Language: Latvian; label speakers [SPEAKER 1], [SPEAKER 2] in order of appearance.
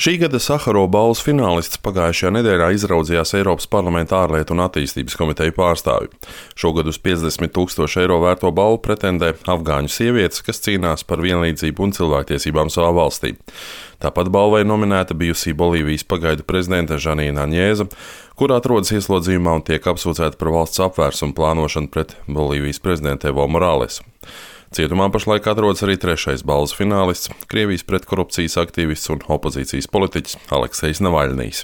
[SPEAKER 1] Šī gada Saharova balvas finālists pagājušajā nedēļā izraudzījās Eiropas Parlamenta ārlietu un attīstības komiteju pārstāvi. Šogad uz 50 000 eiro vērto balvu pretendē afgāņu sievietes, kas cīnās par vienlīdzību un cilvēktiesībām savā valstī. Tāpat balvai nominēta bijusī Bolīvijas pagaidu prezidente Žanīna Aņēza, kur atrodas ieslodzījumā un tiek apsūdzēta par valsts apvērsumu plānošanu pret Bolīvijas prezidentu Evo Morales. Cietumā pašlaik atrodas arī trešais balvas finālists, Krievijas pretkorupcijas aktīvists un opozīcijas politiķis Aleksejs Navaļnijs.